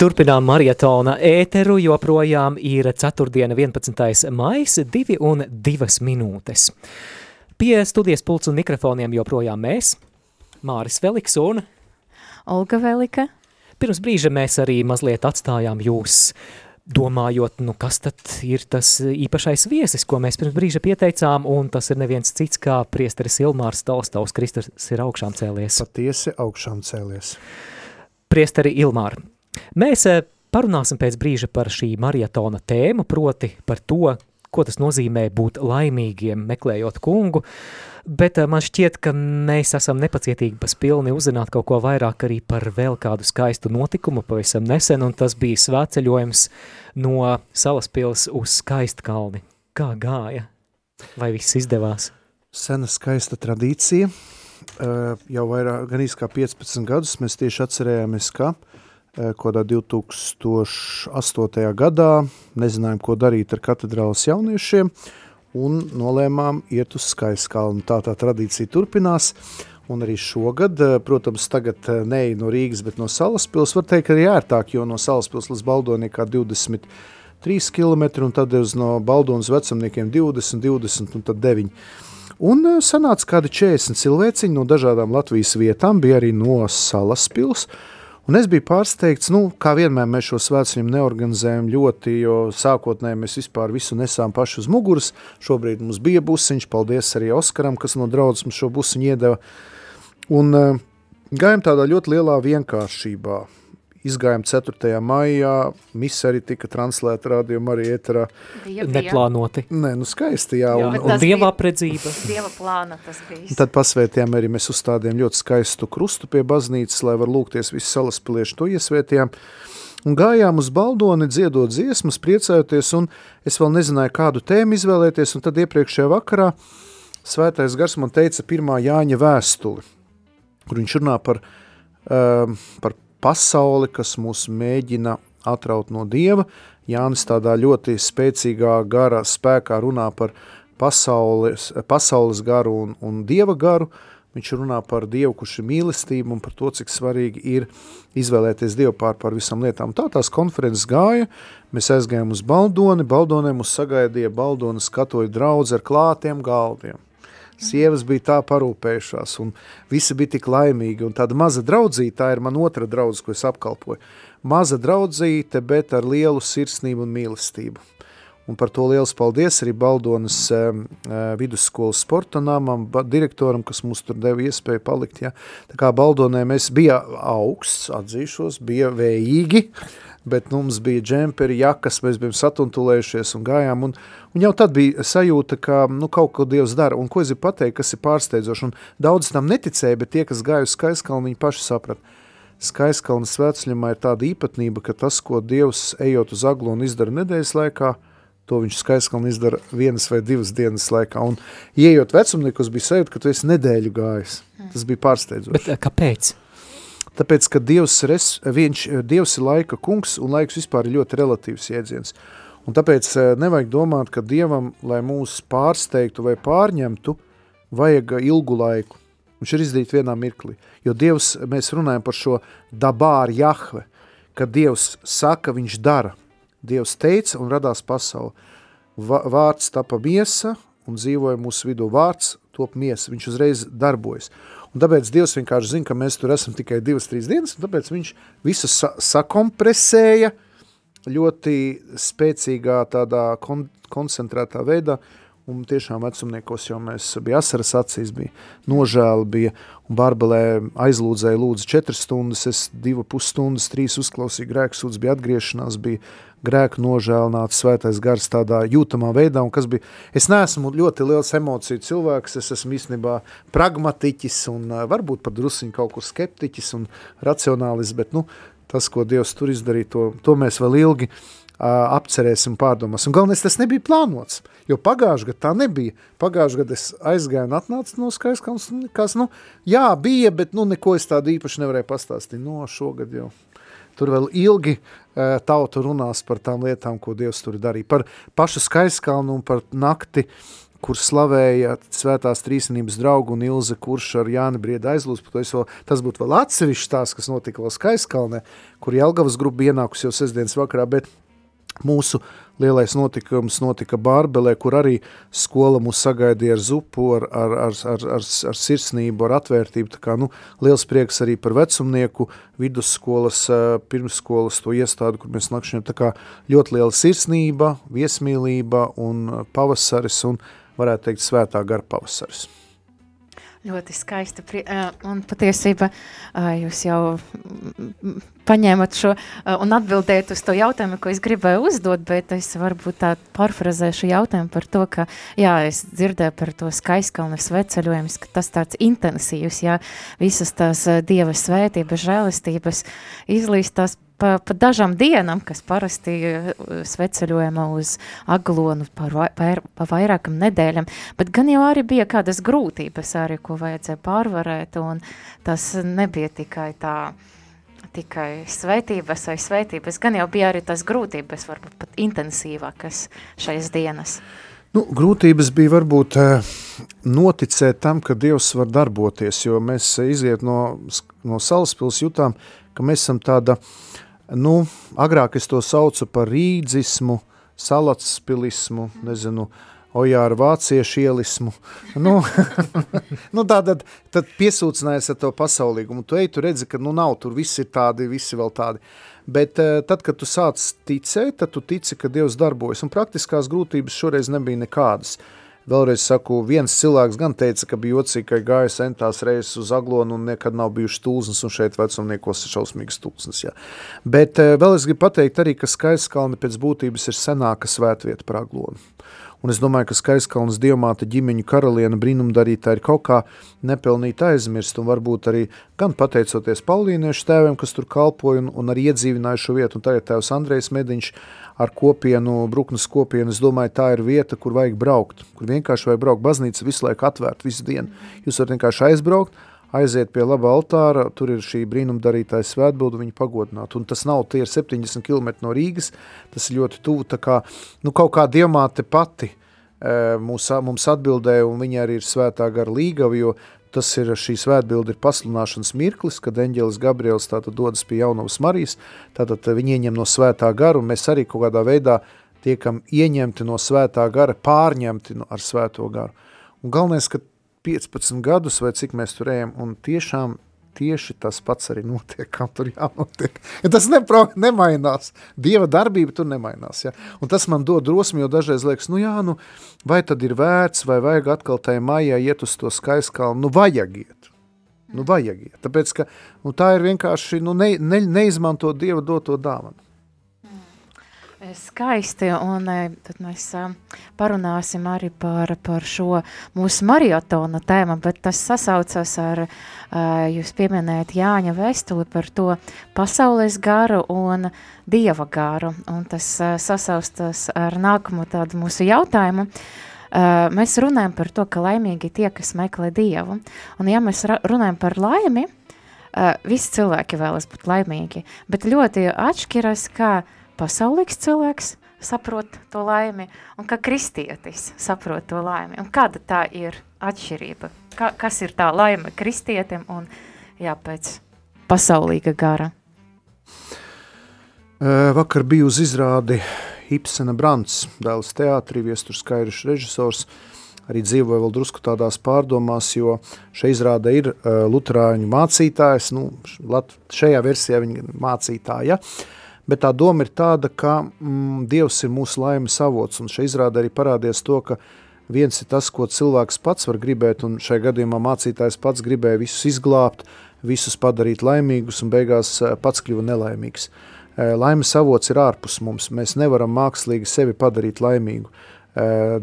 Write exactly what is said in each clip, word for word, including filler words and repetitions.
Turpinām marietona ēteru, joprojām ir ceturtdiena vienpadsmitais maijs, divi un divas minūtes. Pie studijas pults un mikrofoniem joprojām mēs, Māris Veliks un Olga Velika. Pirms brīža mēs arī mazliet atstājām jūs, domājot, nu kas tad ir tas īpašais viesis, ko mēs pirms brīža pieteicām, un tas ir neviens cits kā priesteris Ilmārs Tolstovs. Kristus ir augšām cēlies. Patiesi augšām cēlies. Priesteri Ilmār, mēs parunāsim pēc brīža par šī marietona tēmu, proti par to, ko tas nozīmē būt laimīgiem, meklējot kungu, bet man šķiet, ka mēs esam nepacietīgi paspilni uzzināt kaut ko vairāk arī par vēl kādu skaistu notikumu pavisam nesen, un tas bija svētceļojums no Salaspils uz Skaistkalni. Kā gāja? Vai viss izdevās? Sena skaista tradīcija. Jau vairāk, gan īsti kā piecpadsmit gadus mēs tieši atcerējāmies, ka kodā divi tūkstoši astotajā gadā nezinājām, ko darīt ar katedrāles jauniešiem, un nolēmām iet uz Skaistkalnu. Tā tā tradīcija turpinās, un arī šogad, protams, tagad neej no Rīgas, bet no Salaspils, var teikt, arī ērtāk, jo no Salaspils līdz Baldonai kā divdesmit trīs kilometri, un tad uz no Baldonas vecumniekiem divdesmit, divdesmit un tad deviņi. Un sanāca kādi četrdesmit cilvēciņi no dažādām Latvijas vietām, bija arī no Salaspils, un es biju pārsteigts, nu, kā vienmēr mēs šo svētceļiem neorganizējam ļoti, jo sākotnēji mēs vispār visu nesām paši uz muguras. Šobrīd mums bija busiņš, paldies arī Oskaram, kas no draudzes mums šo busiņu iedeva. Un uh, gājām tādā ļoti lielā vienkāršībā. Izgājām ceturtajā maijā, misa arī tika translēta rādījuma arī ēterā. Bija, bija. Neplānoti. Nē, nu skaisti, jā. jā Un, un, un dieva apredzība. Dieva plāna tas bija. Tad pasvētījām arī, mēs uzstādījām ļoti skaistu krustu pie baznīcas, lai var lūgties visi salaspilieši, to iesvētījām. Un gājām uz Baldoni, dziedot dziesmas, priecājoties, un es vēl nezināju, kādu tēmu izvēlēties, un tad iepriekšējā vakarā Svētais Gars man teica pirmā Jāņa vēstuli, kur viņš runā par, um, par pasauli, kas mūs mēģina atraut no Dieva. Jānis tādā ļoti spēcīgā gara spēkā runā par pasaules, pasaules garu un, un Dieva garu. Viņš runā par Dievu, kurš ir mīlestība, un par to, cik svarīgi ir izvēlēties Dievu pār par visam lietām. Tā tās konferences gāja, mēs aizgājām uz Baldoni, Baldonē mūs sagaidīja Baldonas katoļu draudze ar klātiem galdiem. Sievas bija tā parūpējušās, un visi bija tik laimīgi, un tāda maza draudzīte, tā ir man otra draudze, ko es apkalpoju. Maza draudzīte, bet ar lielu sirsnību un mīlestību. Un par to liels paldies arī Baldonas e, vidusskolas sporta namam, direktoram, kas mums tur deva iespēju palikt. Ja. Tā kā Baldonē mēs bija augsts, atzīšos, bija vējīgi, bet nu, mums bija džemperi, jakas, mēs bijām satuntulējušies un gājām, un, un jau tad bija sajūta, ka nu, kaut ko Dievs dara, un ko es gribu pateikt, kas ir pārsteidzoši, un daudz tam neticēja, bet tie, kas gāja uz Skaistkalnu, viņi paši saprat. Skaistkalnas svētceļumā ir tāda īpatnība, ka tas, ko Dievs ejot uz Aglonu izdara nedēļas laikā, to viņš Skaistkalnu izdara vienas vai divas dienas laikā, un ieejot vecumniekos bija sajūta, ka tu esi nedēļu gājis. Tas bija pārsteidzoši. Bet kāpēc? Tāpēc, ka Dievs, res, viņš, Dievs ir laika kungs, un laiks vispār ir ļoti relatīvs jēdziens. Un tāpēc nevajag domāt, ka Dievam, lai mūs pārsteigtu vai pārņemtu, vajag ilgu laiku. Viņš ir izdarīt vienā mirklī. Jo Dievs, mēs runājam par šo dabār Jahve, kad Dievs saka, viņš dara. Dievs teica un radās pasauli. Vārds tapa miesa un dzīvoja mūsu vidū. Vārds top miesa, viņš uzreiz darbojas. Un tāpēc Dievs vienkārši zina, ka mēs tur esam tikai divas, trīs dienas, un tāpēc viņš visu sa sakompresēja ļoti spēcīgā tādā kon koncentrētā veidā, un tiešām vecumniekos jau mēs bija asaras acīs, bija nožēla, bija, un Barbelē aizlūdzēja lūdzu četras stundas, es divu pusstundas, trīs uzklausīju grēksūdz, bija atgriešanās, bija grēku nožēlināts Svētais Gars tādā jūtamā veidā, un kas bija, es neesmu ļoti liels emociju cilvēks, es esmu īstenībā pragmatiķis un varbūt pat drusiņi kaut kur skeptiķis un racionālis, bet nu, tas, ko Dievs tur izdarīja, to, to mēs vēl ilgi uh, apcerēsim pārdomās. Un galvenais, tas nebija plānots, jo pagājuši gadu tā nebija. Pagājuši gadu es aizgāju un atnācu no Skaistkalnas, kas, nu, jā, bija, bet nu, neko es tādu īpaši nevarēju pastāstīt. No, šogad jau. Tur vēl ilgi uh, tauta runās par tām lietām, ko Dievs tur darīja. Par pašu Skaistkalnu un par nakti, kur slavēja Svētās Trīsvienības draugu un Ilze Kurš ar Jāni Brieda aizlūdz, vēl, tas būtu vēl atsevišķi tās, kas notika vēl Skaiskalnē, kur Jelgavas grupa ienākus jau sestdienas vakarā, bet mūsu lielais notikums notika Bārbelē, kur arī skola mūs sagaidīja ar zupu, ar, ar, ar, ar, ar, ar sirsnību, ar atvērtību. Tā kā, nu, liels prieks arī par vecumnieku, vidusskolas, pirmsskolas to iestādi, kur mēs nakšņojam. Tā kā ļoti liela sirsnība, viesmīlība un pavasaris un, varētu teikt, svētā gara pavasaris. Ļoti skaisti, un patiesībā jūs jau paņēmat šo un atbildēt uz to jautājumu, ko es gribēju uzdot, bet es varbūt tā parfrazēšu jautājumu par to, ka, jā, es dzirdēju par to Skaiskalnes sveceļojumus, ka tas tāds intensīvs, jā, visas tās Dieva svētības, žēlistības izlīst tās pa, pa dažām dienām, kas parasti sveceļojama uz Aglonu par vai, par, pa vairākam nedēļam, bet gan jau arī bija kādas grūtības arī, ko vajadzēja pārvarēt, un tas nebija tikai tā, tikai svētības vai svētības, gan jau bija arī tas grūtības, varbūt pat intensīvākas šais dienas. Nu, grūtības bija varbūt noticēt tam, ka Dievs var darboties, jo mēs iziet no, no Salaspils jutām, ka mēs esam tāda, nu, agrāk es to saucu par rīdzismu, salatspilismu, nezinu, ojāra vāciešu ielismu. Nu, nu tātad tad piesūcinājies ar to pasaulīgumu. Tu ej, tu redzi, ka nu nav, tur visi ir tādi, visi vēl tādi. Bet tad, kad tu sāc ticēt, tad tu tici, ka Dievs darbojas. Un praktiskās grūtības šoreiz nebija nekādas. Vēlreiz saku, viens cilvēks gan teica, ka bija jocīgi, ka gāja centās reizes uz Aglonu un nekad nav bijuši tulznes, un šeit vecumniekos ir šausmīgas tulznes. Jā. Bet vēl es gribu pateikt arī, ka Skaiskalne pēc būtības ir senāka svētvieta par Aglonu. Un es domāju, ka Skaiskalnes dievmāte ģimeņu karaliene brīnumdarītā ir kaut kā nepelnīt aizmirst, un varbūt arī gan pateicoties Paulīniešu tēviem, kas tur kalpoja un, un arī iedzīvināja šo vietu, un tagad tēvs Andrejs Mediņš ar kopienu, Bruknes kopienu, es domāju, tā ir vieta, kur vajag braukt, kur vienkārši vajag braukt, baznīca visu laiku atvērt, visu dienu. Jūs varat vienkārši aizbraukt, aiziet pie laba altāra, tur ir šī brīnumdarītāja svētbildu, viņu pagodināt. Un tas nav, tie ir septiņdesmit kilometri no Rīgas, tas ir ļoti tuvu, tā kā, nu, kaut kā dievmāte pati e, mūs, mums atbildēja, un viņa arī ir svētā gara līgava, jo tas ir, šī svētbilda ir pasludināšanas mirklis, kad eņģelis Gabriels tātad dodas pie Jaunavas Marijas, tātad viņi ieņem no svētā gara, un mēs arī kaut kādā veidā tiekam ieņemti no svētā gara, pārņemti no, ar svēto garu. Un galvenais, ka piecpadsmit gadus vai cik mēs tur ejam, un tiešām tieši tas pats arī notiek, kā tur jānotiek. Ja tas nepro, nemainās. Dieva darbība tur nemainās. Ja? Un tas man dod drosmi, jo dažreiz liekas, nu jā, nu, vai tad ir vērts, vai vajag atkal tai maijā iet uz to Skaiskalnu? Nu, vajag iet. Nu, vajag iet. Tāpēc, ka nu, tā ir vienkārši, nu, ne, ne, neizmanto Dieva doto dāvanu. Skaisti, un tad mēs parunāsim arī par, par šo mūsu maratona tēmu, bet tas sasaucas ar, jūs pieminējat Jāņa vēstuli par to pasaules garu un Dieva garu, un tas sasaustas ar nākamo tādu mūsu jautājumu. Mēs runājam par to, ka laimīgi tie, kas meklē Dievu, un ja mēs runājam par laimi, visi cilvēki vēlas būt laimīgi, bet ļoti atšķiras, kā pasaulīgs cilvēks saprot to laimi, un kā kristietis saprot to laimi. Un kāda tā ir atšķirība? Kā, kas ir tā laime kristietim un, jā, pēc pasaulīga gara? Vakar biju uz izrādi Ibsena Brants, dēls teātrī, Viesturs Skairišs režisors, arī dzīvoja vēl drusku tādās pārdomās, jo šai izrāde ir uh, luterāņu mācītājs, nu, lat, šajā versijā viņa mācītāja, bet tā doma ir tāda, ka mm, Dievs ir mūsu laimes avots, un šai izrādē arī parādies to, ka viens ir tas, ko cilvēks pats var gribēt, un šai gadījumā mācītājs pats gribēja visus izglābt, visus padarīt laimīgus, un beigās pats kļuva nelaimīgs. Laimes avots ir ārpus mums, mēs nevaram mākslīgi sevi padarīt laimīgu.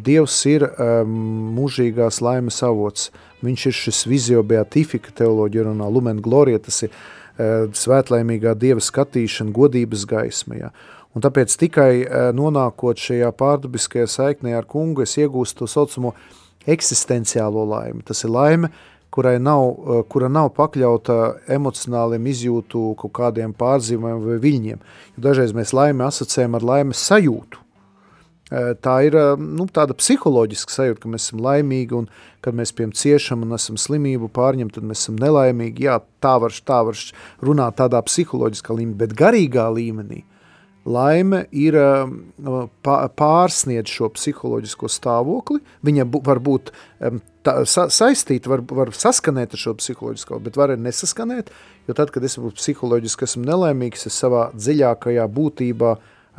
Dievs ir mūžīgās laimes avots, viņš ir šis vizio beatifika teoloģija runā, lumen gloria, tas ir svētlaimīgā Dieva skatīšana, godības gaisma. Ja. Un tāpēc tikai nonākot šajā pārdabiskajā saiknē ar kungu, es iegūstu to saucamo eksistenciālo laimi. Tas ir laime, kurai nav, kura nav pakļauta emocionāliem izjūtu kaut kādiem pārzīmēm vai viļņiem. Jo dažreiz mēs laimi asociējam ar laimes sajūtu. Tā ir nu, tāda psiholoģiska sajūta, ka mēs esam laimīgi un kad mēs piem ciešam un esam slimību pārņem, tad mēs esam nelaimīgi. Jā, tā var, tā var runāt tādā psiholoģiskā līmenī, bet garīgā līmenī laime ir pārsniedz šo psiholoģisko stāvokli. Viņa var būt tā, sa, saistīta, var, var saskanēt ar šo psiholoģisko, bet var arī nesaskanēt, jo tad, kad es būtu psiholoģiski esmu nelaimīgs, es savā dziļākajā būtībā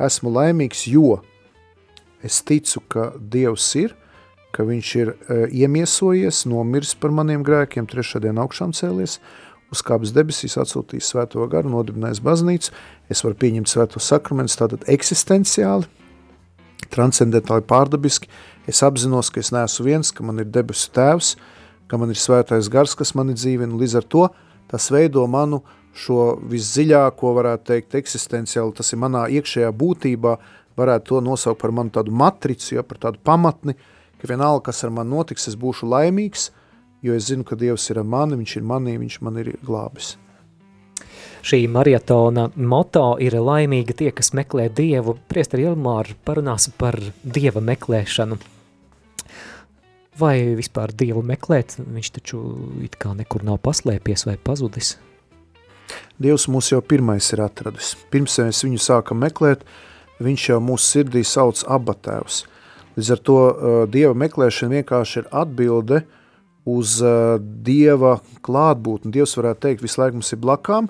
esmu laimīgs, jo es ticu, ka Dievs ir, ka viņš ir e, iemiesojies, nomiris par maniem grēkiem, trešā diena augšām cēlies, uzkāpis debesīs, atsūtījis svēto garu, nodibinājis baznīcu, es varu pieņemt svēto sakramentus, tātad eksistenciāli, transcendentāli pārdabiski, es apzinos, ka es neesmu viens, ka man ir debesu tēvs, ka man ir svētais gars, kas mani dzīvina, līdz ar to tas veido manu šo visdziļāko, varētu teikt, eksistenciāli, tas ir manā iekšējā būtībā, varētu to nosaukt par manu tādu matricu, ja, par tādu pamatni, ka vienalga, kas ar mani notiks, es būšu laimīgs, jo es zinu, ka Dievs ir ar mani, viņš ir manī, viņš man ir glābis. Šī marietona moto ir laimīgi tie, kas meklē Dievu. Priesteri Ilmār, parunāsim par Dieva meklēšanu. Vai vispār Dievu meklēt? Viņš taču it kā nekur nav paslēpies vai pazudis. Dievs mūs jau pirmais ir atradis. Pirms mēs viņu sākam meklēt, viņš jau mūsu sirdī sauc Abba tēvs. Līdz ar to uh, Dieva meklēšana vienkārši ir atbilde uz uh, Dieva klātbūtni. Dievs varētu teikt, visu laiku mums ir blakām,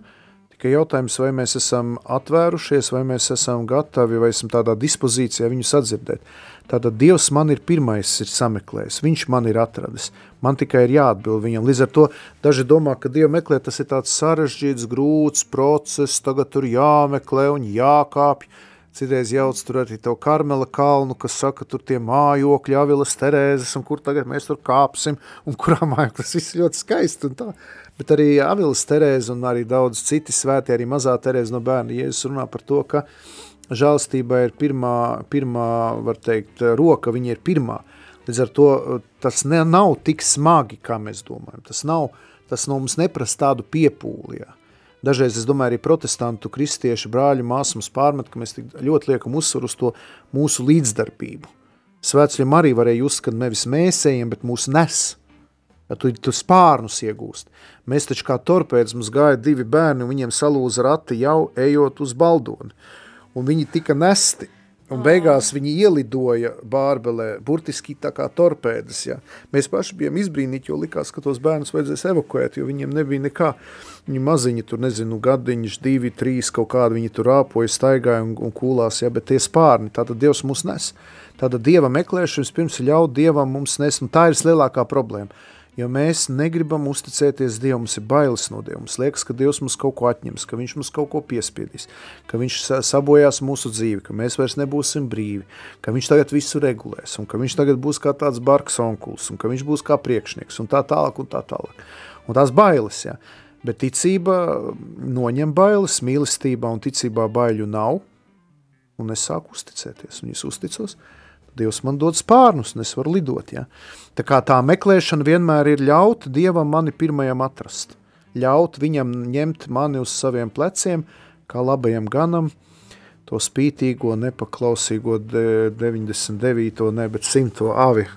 tikai jautājums, vai mēs esam atvērušies, vai mēs esam gatavi, vai esam tādā dispozīcijā viņu sadzirdēt. Tātad Dievs man ir pirmais ir sameklējis, viņš man ir atradis. Man tikai ir jāatbild viņam. Līdz ar to daži domā, ka Dievu meklēt, tas ir tāds sarežģīts, grūts process, tagad tur jāmeklē un jākāpj. Citreiz jauc tur arī tev Karmela kalnu, kas saka, tur tie mājokļi, Avilas Terēzes, un kur tagad mēs tur kāpsim, un kurā mājokļi, tas viss ļoti skaisti un tā. Bet arī Avilas Terēze un arī daudz citi svētie, arī mazā Terēze no bērna, Jēzus runā par to, ka žēlstība ir pirmā, pirmā, var teikt, roka, viņa ir pirmā. Līdz ar to tas ne, nav tik smagi, kā mēs domājam. Tas nav, tas no mums neprasa tādu piepūli, jā. Dažreiz, es domāju, arī protestantu, kristiešu, brāļu, māsu mums pārmet, ka mēs tik ļoti liekam uzsvaru uz to mūsu līdzdarbību. Svētceļiem arī varēja uzskat nevis mēs ejam, bet mūs nes. Ja tu, tu spārnus iegūst. Mēs taču kā torpēdis, mums gāja divi bērni, un viņiem salūza rati jau ejot uz Baldoni. Un viņi tika nesti. Un beigās viņi ielidoja Bārbelē, burtiski tā kā torpēdas. Ja. Mēs paši bijām izbrīnīti, jo likās, ka tos bērnus vajadzēs evakuēt, jo viņiem nebija nekā. Viņi maziņi tur, nezinu, gadiņš, divi, trīs, kaut kādi viņi tur rāpoja, staigāja un, un kūlās, ja, bet tie spārni, tātad Dievs mūs nes. Tātad Dieva meklēšanas pirms ļaut Dievam mums nes, un tā ir lielākā problēma. Jo mēs negribam uzticēties Dievam, mums ir bailes no Dieva. Mums liekas, ka Dievs mums kaut ko atņems, ka viņš mums kaut ko piespiedīs, ka viņš sabojās mūsu dzīvi, ka mēs vairs nebūsim brīvi, ka viņš tagad visu regulēs, un ka viņš tagad būs kā tāds barks onkuls, un ka viņš būs kā priekšnieks, un tā tālāk, un tā tālāk. Un tās bailes, jā. Bet ticība noņem bailes, mīlestībā un ticībā baiļu nav, un es sāku uzticēties, un es uzticos, Dievs man dod spārnus, un es varu lidot, ja. Tā kā tā meklēšana vienmēr ir ļaut Dievam mani pirmajam atrast. Ļaut viņam ņemt mani uz saviem pleciem, kā labajam ganam, to spītīgo, nepaklausīgo deviņdesmit devīto, ne, bet simto avi.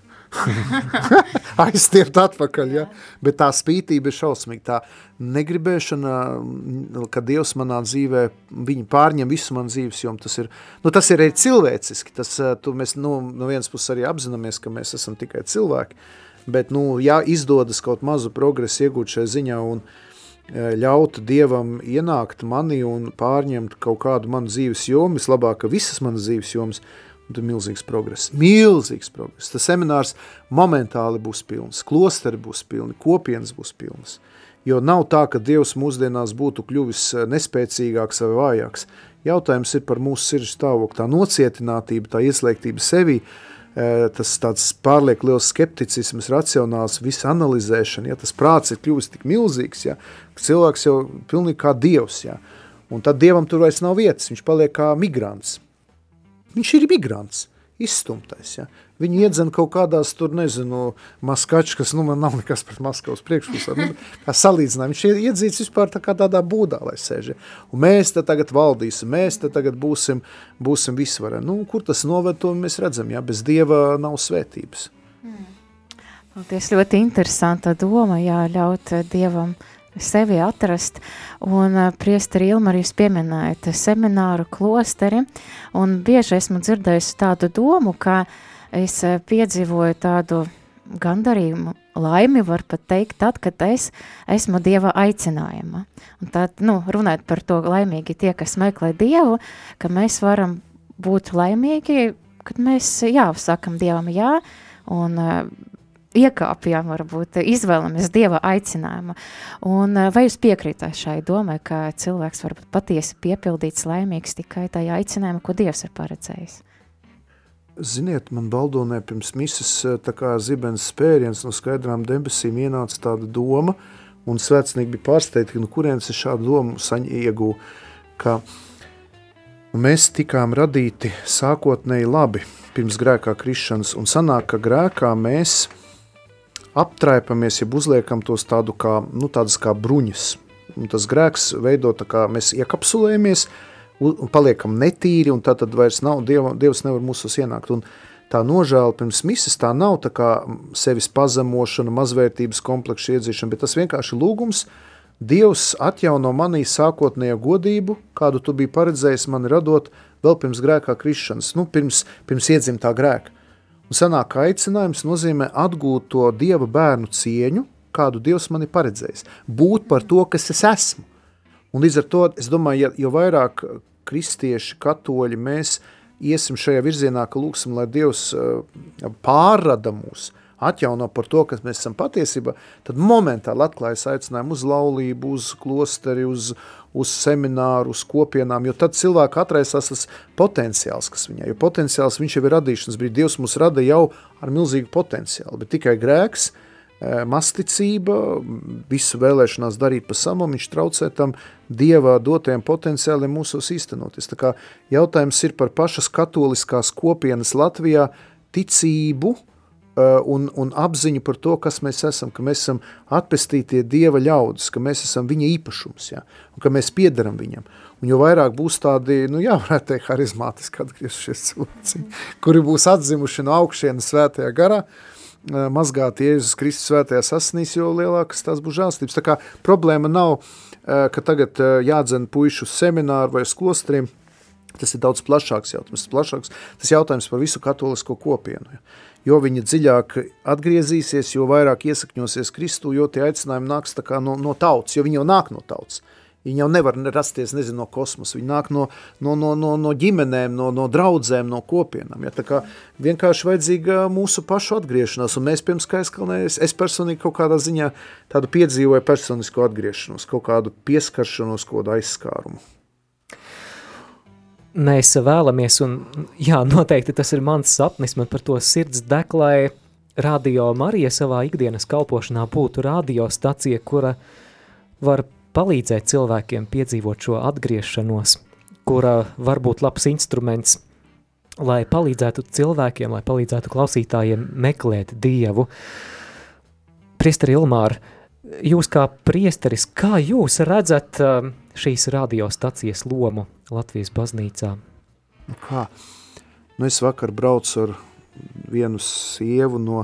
Aizstiept atpakaļ, ja? Bet tā spītība ir šausmīga, tā negribēšana, ka Dievs manā dzīvē, viņi pārņem visu man dzīves, jo tas ir, nu tas ir arī cilvēciski, tas, tu mēs, nu, no vienas puses arī apzināmies, ka mēs esam tikai cilvēki, bet, nu, ja izdodas kaut mazu progresu iegūt šai ziņā un ļaut Dievam ienākt mani un pārņemt kaut kādu manu dzīves jomu, vislabāk, ka visas manas dzīves jomas, un tad milzīgs progress, milzīgs progress. Tas seminārs momentāli būs pilns, klosteri būs pilni, kopienas būs pilnas. Jo nav tā, ka Dievs mūsdienās būtu kļuvis nespēcīgāks vai vājāks. Jautājums ir par mūsu sirds stāvokli, tā nocietinātība, tā ieslēgtība sevī, tas tāds pārliek liels skepticisms, racionāls, visa analizēšana, ja, tas prāts ir kļuvis tik milzīgs, ja, ka cilvēks jau pilnīgi kā Dievs, ja, un tad Dievam tur vairs nav vietas, viņš paliek kā migrants. Viņš ir migrants. izstumtais, ja. Viņi iedzen kaut kādās tur, nezinu, maskačkas, nu man nav nekas pret Maskavas priekšpusā, nu, kā salīdzinājumi. Viņš iedzīts vispār tā kā tādā būdā, lai sēž. Ja. Un mēs te tagad valdīsim, mēs te tagad būsim, būsim visvareni. Nu, kur tas noved, to mēs redzam, ja, bez Dieva nav svētības. Mm. Paldies, ļoti interesanta doma, jā, ļaut Dievam sevi atrast, un uh, priesteri Ilmar, jūs pieminējat semināru klosteri, un bieži esmu dzirdējusi tādu domu, ka es uh, piedzīvoju tādu gandarījumu, laimi, var pat teikt, tad, kad es esmu Dieva aicinājuma. Un tad, nu, runāt par to laimīgi tie, kas meklē Dievu, ka mēs varam būt laimīgi, kad mēs, jā, sakam Dievam jā, un uh, iekāpjām, varbūt, izvēlamies Dieva aicinājumu. Un vai jūs piekrītat šai domai, ka cilvēks var būt patiesi piepildīts, laimīgs tikai tajā aicinājumā, ko Dievs ir paredzējis? Ziniet, man Baldonē pirms mises tā kā zibens spēriens no skaidrām debesīm ienāca tāda doma, un svētcenīgi bija pārsteigti, no kurienes es šādu domu saņ iegū, ka mēs tikām radīti sākotnēji labi pirms grēkā krišanas, un sanāk, ka grēkā mēs aptraipamies, ja uzliekam tos tādu kā, nu, tādas kā bruņas. Un tas grēks veido tā kā mēs iekapsulējamies un paliekam netīri, un tā tad vairs nav, Dieva, Dievs nevar mūsos ienākt. Un tā nožēla pirms mises tā nav tā kā sevis pazemošana, mazvērtības kompleksa iedzīšana, bet tas vienkārši lūgums, Dievs atjauno manī sākotnējo godību, kādu tu biji paredzējis mani radot vēl pirms grēkā krišanas, nu, pirms, pirms iedzimtā grēka. Un sanāk aicinājums nozīmē atgūt to Dieva bērnu cieņu, kādu Dievs mani paredzējis. Būt par to, kas es esmu. Un līdz ar to, es domāju, ja, jo vairāk kristieši, katoļi mēs iesim šajā virzienā, ka lūksim, lai Dievs pārrada mūs, atjauno par to, kas mēs esam patiesībā, tad momentāli atklājas aicinājumu uz laulību, uz klosteri, uz, uz semināru, uz kopienām, jo tad cilvēku atraisās tas potenciāls, kas viņai, jo potenciāls viņš jau ir radīšanas brīdī. Dievs mūs rada jau ar milzīgu potenciālu, bet tikai grēks, masticība, visu vēlēšanās darīt pa samam, viņš traucē tam Dieva dotajiem potenciāliem mūsos īstenoties. Tā kā jautājums ir par pašas katoliskās kopienas Latvijā ticību, Un, un apziņu par to, kas mēs esam, ka mēs esam atpestītie Dieva ļaudis, ka mēs esam viņa īpašums, jā, un ka mēs piederam viņam. Un jo vairāk būs tādi, nu jā, varētu teikt, harizmātiski atgriezušies cilvēci, kuri būs atzimuši no augšienes svētajā garā, mazgāt Jēzus Kristus svētajās asinīs, jo lielākas tās būs žēlstības. Tā kā problēma nav, ka tagad jādzen puišu uz semināru vai uz klostriem, tas ir daudz plašāks jautājums, plašāks, tas jautājums par visu katolisko kopienu, jā. Jo viņi dziļāk atgriezīsies, jo vairāk iesakņosies Kristū, jo tie aicinājumi nāks tā kā no, no tautas, jo viņi jau nāk no tautas. Viņi jau nevar rasties, nezinu, no kosmosa, viņi nāk no, no, no, no, no ģimenēm, no, no draudzēm, no kopienām. Ja, tā kā vienkārši vajadzīga mūsu pašu atgriešanās, un mēs pirms Skaiskalnēs, es personīgi kaut kādā ziņā tādu piedzīvoju personisko atgriešanos, kaut kādu pieskaršanos, kaut kādu aizskārumu. Mēs vēlamies, un jā, noteikti tas ir mans sapnis, man par to sirds deg, lai Radio Marija savā ikdienas kalpošanā būtu radiostacija, kura var palīdzēt cilvēkiem piedzīvot šo atgriešanos, kura var būt labs instruments, lai palīdzētu cilvēkiem, lai palīdzētu klausītājiem meklēt Dievu. Priesteri Ilmār, jūs kā priesteris, kā jūs redzat šīs radiostacijas lomu Latvijas baznīcā? Nu kā? Nu es vakar braucu ar vienu sievu no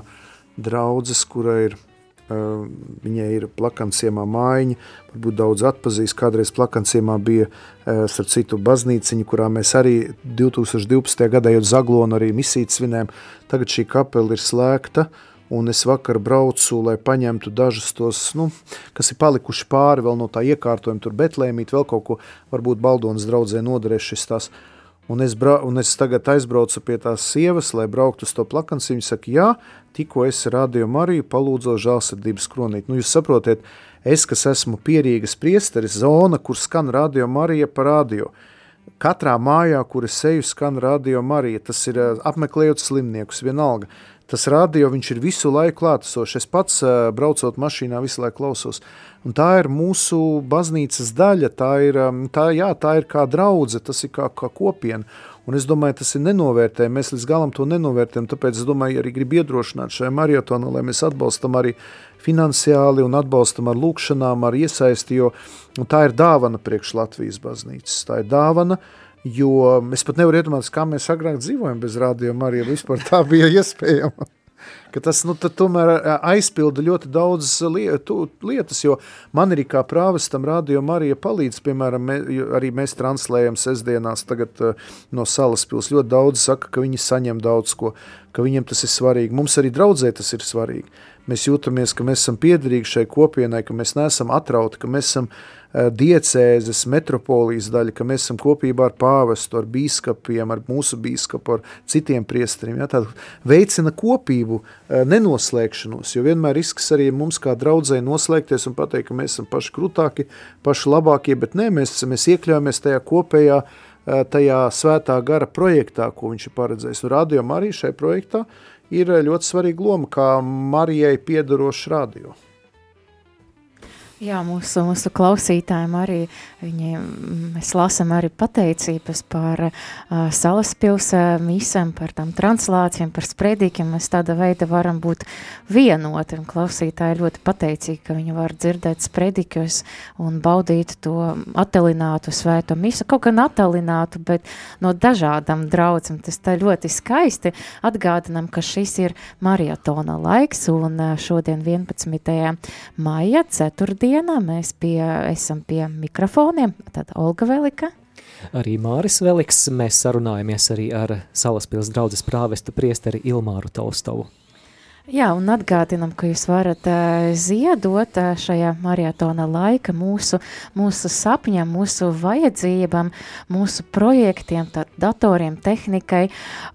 draudzes, kura ir, uh, viņai ir Plakanciemā mājiņa, varbūt daudz atpazīst, kādreiz Plakanciemā bija, uh, starp citu, baznīciņa, kurā mēs arī divtūkstoš divpadsmitajā gadā jau Zaglonu arī misīt svinējam. Tagad šī kapela ir slēgta, un es vakar braucu, lai paņemtu dažus tos, nu, kas ir palikuši pāri vēl no tā iekārtojuma, tur Betlēmīt, vēl kaut ko, varbūt Baldonas draudzē noderēs šis tās. Un es, bra, un es tagad aizbraucu pie tās sievas, lai brauktu uz to Plakanciņu, viņa saka, jā, tikko es Radio Mariju palūdzu žēlsirdības kronīt. Nu, jūs saprotiet, es, kas esmu pierīgas priesteris, zona, kur skan Radio Marija pa radio. Katrā mājā, kur es eju, skan Radio Marija, tas ir apmeklējot slimniekus, vienalga. tas radio, viņš ir visu laiku klātesošs. Es pats braucot mašīnā visu laiku klausos. Un tā ir mūsu baznīcas daļa, tā ir, tā, jā, tā ir kā draudze, tas ir kā, kā kopiena. Un es domāju, tas ir nenovērtējami, mēs līdz galam to nenovērtējam, tāpēc es domāju, arī gribu iedrošināt šajā mariotonā, lai mēs atbalstam arī finansiāli un atbalstam ar lūkšanām, ar iesaisti, jo tā ir dāvana priekš Latvijas baznīcas. Tā ir dāvana, jo es pat nevaru iedomāties, kā mēs agrāk dzīvojam bez Radio Marija, vispār tā bija iespējama. Ka tas nu, tomēr aizpilda ļoti daudz lietas, jo man arī kā prāvestam Radio Marija palīdz, piemēram, mē, arī mēs translējam sestdienās tagad no Salaspils. Ļoti daudz saka, ka viņi saņem daudz ko, ka viņiem tas ir svarīgi. Mums arī draudzē tas ir svarīgi. Mēs jūtamies, ka mēs esam piederīgi šai kopienai, ka mēs neesam atrauti, ka mēs esam diecēzes, metropolijas daļa, ka mēs esam kopībā ar pāvestu, ar bīskapiem, ar mūsu bīskapu, ar citiem priesteriem. Ja, tā veicina kopību, nenoslēgšanos, jo vienmēr risks arī mums kā draudzēji noslēgties un pateikt, ka mēs esam paši krūtāki, paši labākie, bet nē, mēs, mēs iekļaujamies tajā kopējā, tajā svētā gara projektā, ko viņš ir paredzējis. Un Radio Marija šai projektā ir ļoti svarīga loma, kā Marijai piedarošs radio. Jā, mūsu, mūsu klausītājiem arī, viņi, mēs lasam arī pateicības par uh, Salaspils uh, misam, par tām translācijām, par spredikiem, mēs tāda veida varam būt vienoti, un klausītāji ļoti pateicīgi, ka viņi var dzirdēt spredikus un baudīt to attalinātu svēto misu, kaut gan attalinātu, bet no dažādām draudzam, tas tā ļoti skaisti atgādinam, ka šis ir mariatona laiks, un uh, šodien vienpadsmitajā maija, ceturtdien, dienā mēs pie, esam pie mikrofoniem, tad Olga Velika. Arī Māris Veliks, mēs sarunājamies arī ar Salaspils draudzes prāvestu priesteri Ilmāru Tolstovu. Jā, un atgādinam, ka jūs varat uh, ziedot uh, šajā mariatona laika mūsu, mūsu sapņam, mūsu vajadzībām, mūsu projektiem, tad datoriem, tehnikai,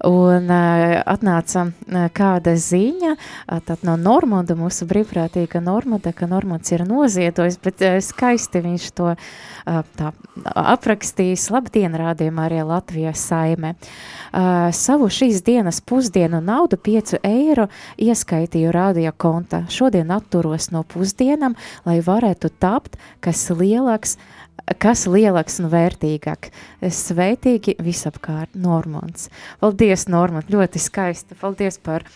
un uh, atnāca uh, kāda ziņa, uh, tad no Normonda, mūsu brīvprātīga Normonda, ka Normonds ir noziedojis, bet uh, skaisti viņš to uh, tā aprakstījis. Labdien, rādījumā arī Latvijas saime. Uh, savu šīs dienas pusdienu naudu piecu eiro ieskaitīju radio konta. Šodien atturos no pusdienam, lai varētu tapt, kas lielāks, kas lielāks un vērtīgāk. Sveitīgi visapkārt, Normonds. Paldies, Normond, ļoti skaisti. Paldies par,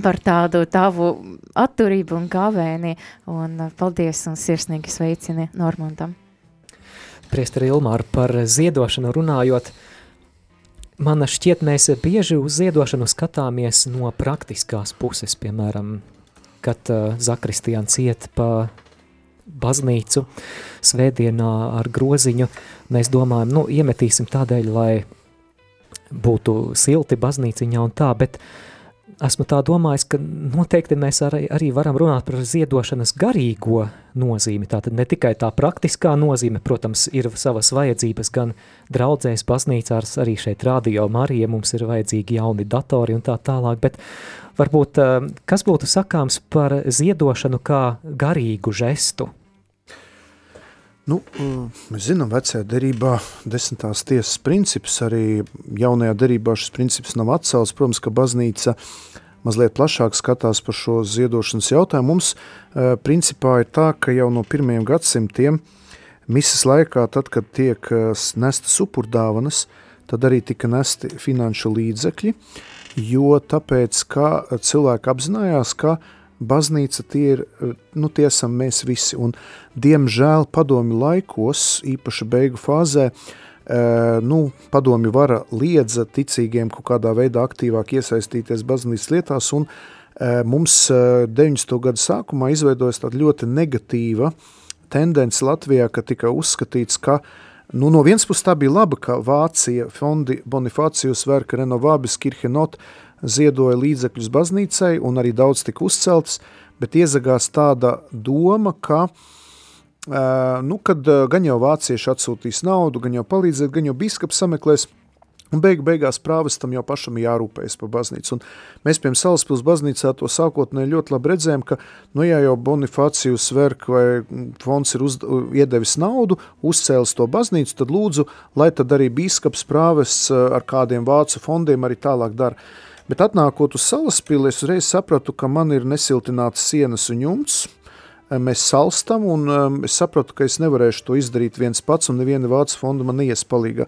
par tādu tavu atturību un gavēni, un paldies un sirsnīgi sveicini Normondam. Priesteri Ilmāra, par ziedošanu runājot, man šķiet, mēs bieži uz ziedošanu skatāmies no praktiskās puses, piemēram, kad uh, Zakristiāns iet pa baznīcu svētdienā ar groziņu, mēs domājam, nu, iemetīsim tādēļ, lai būtu silti baznīciņā un tā, bet esmu tā domājis, ka noteikti mēs arī, arī varam runāt par ziedošanas garīgo nozīmi. Tātad ne tikai tā praktiskā nozīme, protams, ir savas vajadzības gan draudzēs, baznīcās, arī šeit Radio Marija, mums ir vajadzīgi jauni datori un tā tālāk, bet varbūt kas būtu sakāms par ziedošanu kā garīgu žestu? Nu, mēs zinām, vecajā derībā desmitās tiesas princips, arī jaunajā derībā šis princips nav atcelts. Protams, ka baznīca mazliet plašāk skatās par šo ziedošanas jautājumu. Mums uh, principā ir tā, ka jau no pirmajiem gadsimtiem misas laikā, tad, kad tiek nestas upurdāvanas, tad arī tika nesti finanšu līdzekļi, jo tāpēc, ka cilvēki apzinājās, ka baznīca tie ir, nu tie esam mēs visi, un diemžēl padomju laikos, īpaši beigu fāzē, nu padomju vara liedza ticīgiem kaut kādā veidā aktīvāk iesaistīties baznīcas lietās, un mums deviņdesmito gadu sākumā izveidojas tāda ļoti negatīva tendence Latvijā, ka tika uzskatīts, ka nu, no vienas puses tā bija laba, ka Vācija fondi Bonifācijus Verka Renovabis Kirchenot ziedoja līdzekļus baznīcai un arī daudz tika uzceltas, bet iezagās tāda doma, ka, nu, kad gan jau vācieši atsūtīs naudu, gan jau palīdzēt, gan jau bīskaps sameklēs, un beigu beigās prāvestam jau pašam jārūpējas par baznīcu. Un mēs, piemēram, Salaspils baznīcā to sākotnēji ļoti labi redzējām, ka, nu, ja jau Bonifācijus Verk vai fonds ir uz, iedevis naudu, uzcēlis to baznīcu, tad lūdzu, lai tad arī bīskaps prāvests ar kādiem vācu fondiem arī tālāk dara. Bet atnākot uz Salaspili, es uzreiz sapratu, ka man ir nesiltināts sienas un jumts, mēs salstam, un um, es sapratu, ka es nevarēšu to izdarīt viens pats, un neviena Vācu fonda man neies palīgā.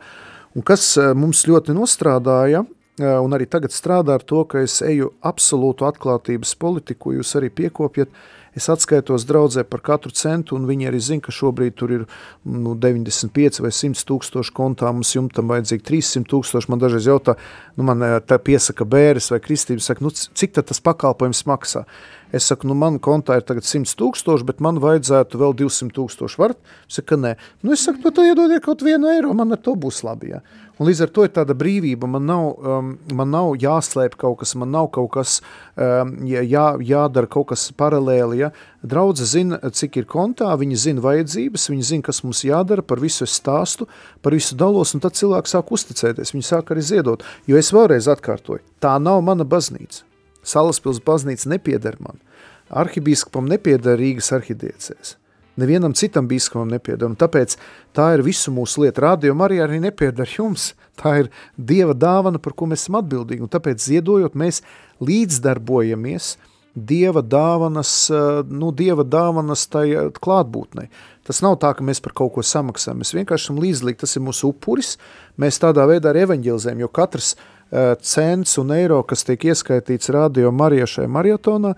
Un kas uh, mums ļoti nostrādāja, uh, un arī tagad strādā ar to, ka es eju absolūtu atklātības politiku, jūs arī piekopjat, es atskaitos draudzē par katru centu, un viņi arī zina, ka šobrīd tur ir nu, deviņdesmit pieci vai simt tūkstoši kontā, mums jumtam vajadzīgi trīssimt tūkstoši, man dažreiz jautā, nu man tā piesaka bēres vai kristības, saka, nu cik tad tas pakalpojums maksā? Es saku, nu man kontā ir tagad simt tūkstoši, bet man vajadzētu vēl divsimt tūkstoši, varat? Saka, nē. Nu es saku, nu tad iedodiet kaut vienu eiro, man ar to būs labi, jā. Un līdz ar to ir tāda brīvība, man nav, um, man nav jāslēp kaut kas, man nav kaut kas, um, jā, jādara kaut kas paralēli, ja. Draudze zina, cik ir kontā, viņi zina vajadzības, viņi zina, kas mums jādara, par visu es stāstu, par visu dalos, un tad cilvēki sāk uzticēties, viņi sāk arī ziedot, jo es vēlreiz atkārtoju, tā nav mana baznīca. Salaspils baznīca nepieder man. Arhibīskapam nepieder Rīgas arhidiecēs. Nevienam citam bīskapam nepieder, un tāpēc tā ir visu mūsu lieta. Radio Marija arī nepieder jums. Tā ir Dieva dāvana, par ko mēs esam atbildīgi, un tāpēc ziedojot mēs līdzdarbojamies Dieva dāvanas, nu, Dieva dāvanas tai klātbūtnei. Tas nav tā, ka mēs par kaut ko samaksājam, mēs vienkārši esam līdzlīgi, tas ir mūsu upuris, mēs tādā veidā arī evaņģelizējam, jo katrs uh, cents un eiro, kas tiek ieskaitīts Radio Marija šajā mariotonā,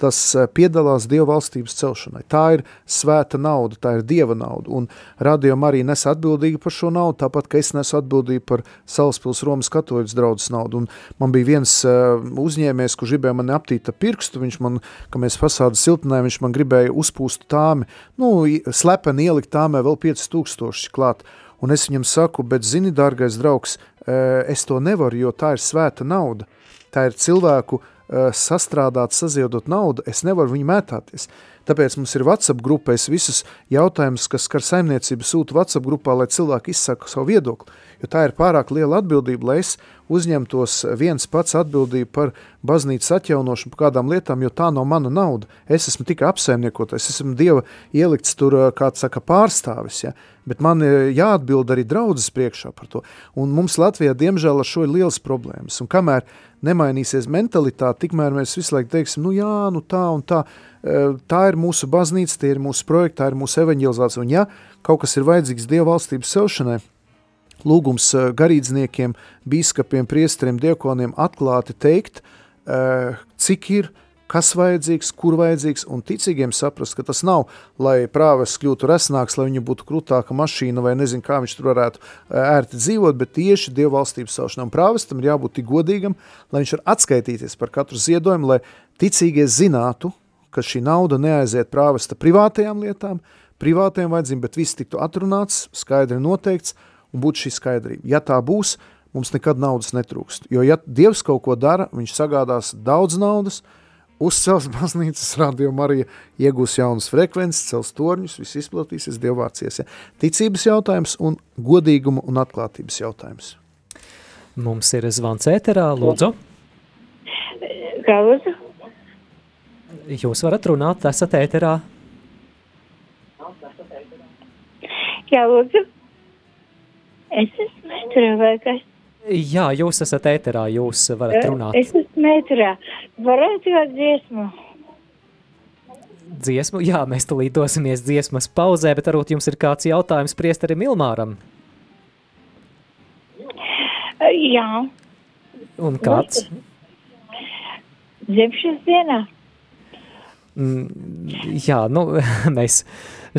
tas piedalās Dieva valstības celšanai. Tā ir svēta nauda, tā ir Dieva nauda, un Radio Marija nes atbildīgi par šo naudu, tāpat, ka es nesu atbildīgi par Salaspils Romas katoļas draudzes naudu, un man bija viens uh, uzņēmējs, kurš gribēja mani aptīt pirkstu, viņš man, ka mēs fasādu siltinājām, viņš man gribēja uzpūst tāmi, nu, slepeni ielikt tāmē vēl pieci tūkstoši klāt, un es viņam saku, bet zini, dārgais draugs, uh, es to nevaru, jo tā ir svēta nauda, tā ir cilvēku sastrādāt, saziedot naudu, es nevaru viņu mētāties. Tāpēc mums ir WhatsApp grupa, es visus jautājumus, kas skar saimniecību, sūtu WhatsApp grupā, lai cilvēki izsaka savu viedokli, jo tā ir pārāk liela atbildība, lai es uzņemtos viens pats atbildību par baznīcas atjaunošanu, par kādām lietām, jo tā nav mana nauda. Es esmu tikai apsaimniekotais, es esmu Dieva ielikts tur, kāds saka, pārstāvis, ja? Bet man jāatbild arī draudzes priekšā par to. Un mums Latvijā, diemžēl, ar šo ir liels problēmas. Un kamēr nemainīsies mentalitāte, tikmēr mēs visu laiku teiksim, nu jā, nu tā un tā, tā ir mūsu baznīca, tie ir mūsu projekti, tā ir mūsu evaņģelizācija. Un ja kaut kas ir vajadzīgs Dieva valstības celšanai, lūgums garīdzniekiem, bīskapiem, priesteriem, diakoniem atklāti teikt, cik ir, kas vajadzīgs, kur vajadzīgs, un ticīgiem saprast, ka tas nav, lai prāvests kļūtu resnāks, lai viņu būtu krūtāka mašīna, vai nezinu, kā viņš tur varētu ērti dzīvot, bet tieši Dieva valstības celšanai. Un prāvestam ir jābūt tik godīgam, lai viņš var atskaitīties par katru ziedojumu, lai ticīgie zinātu, ka šī nauda neaiziet prāvesta privātajām lietām, privātajām vajadzībām, bet viss tiktu atrunāts, skaidri noteikts, un būtu šī skaidrība. Ja tā būs, mums nekad naudas netrūkst. Jo ja Dievs kaut ko dara, viņš sagādās daudz naudas, uzcels baznīcas, Radio Marija iegūs jaunas frekvences, cels torņus, viss izplatīsies, Dievvārds. Ja. Ticības jautājums un godīguma un atklātības jautājums. Mums ir zvans ēterā, lūdzu. Kā lūdzu? Jūs varat runāt, esat ēterā. Jā, lūdzu. Es esmu ēterā vai kas? Jā, jūs esat ēterā, jūs varat runāt. Es esmu ēterā. Varētu jau dziesmu? Dziesmu? Jā, mēs tulīt dosimies dziesmas pauzē, bet varbūt jums ir kāds jautājums priesterim Ilmāram? Jā. Un kāds? Dzimšanas dienā. Mm, jā, nu, mēs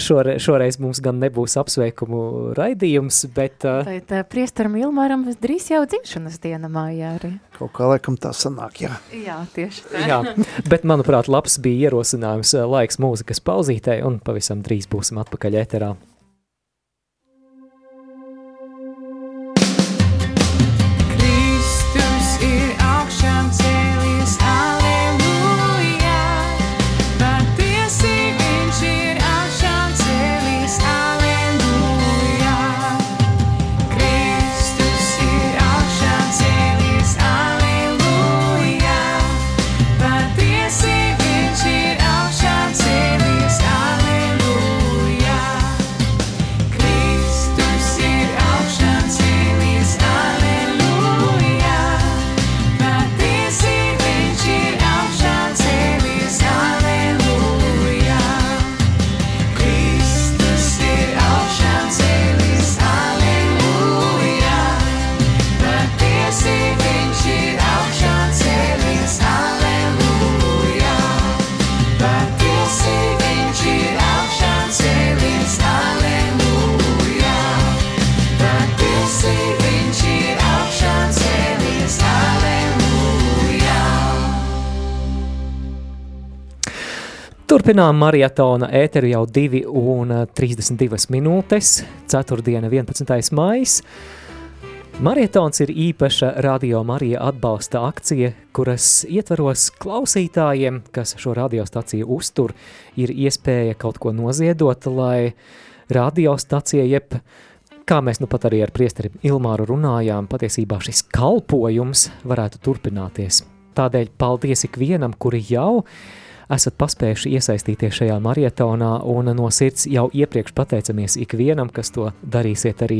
šore, šoreiz mums gan nebūs apsveikumu raidījums, bet... Uh, bet uh, priesteram Ilmāram drīz jau dzimšanas diena mājā arī. Kaut kā laikam tā sanāk, jā. Jā, tieši tā. Jā, bet manuprāt, labs bija ierosinājums laiks mūzikas pauzītē, un pavisam drīz būsim atpakaļ ēterā. Kristus ir augšām cēlies, aleluja. Patiesi viņš ir augšām cēlies, aleluja. Kristus ir augšām cēlies, aleluja. Patiesi viņš ir augšām cēlies, aleluja. Turpinām marietona ēteru jau divi un trīsdesmit divas minūtes, ceturtdiena vienpadsmitais maijs. Marietons ir īpaša Radio Marija atbalsta akcija, kuras ietvaros klausītājiem, kas šo radiostaciju uztur, ir iespēja kaut ko noziedot, lai radiostacija, jeb, kā mēs nu pat arī ar priesteri Ilmāru runājām, patiesībā šis kalpojums varētu turpināties. Tādēļ paldies ikvienam, kuri jau esat paspējuši iesaistīties šajā marietonā, un no sirds jau iepriekš pateicamies ikvienam, kas to darīsiet arī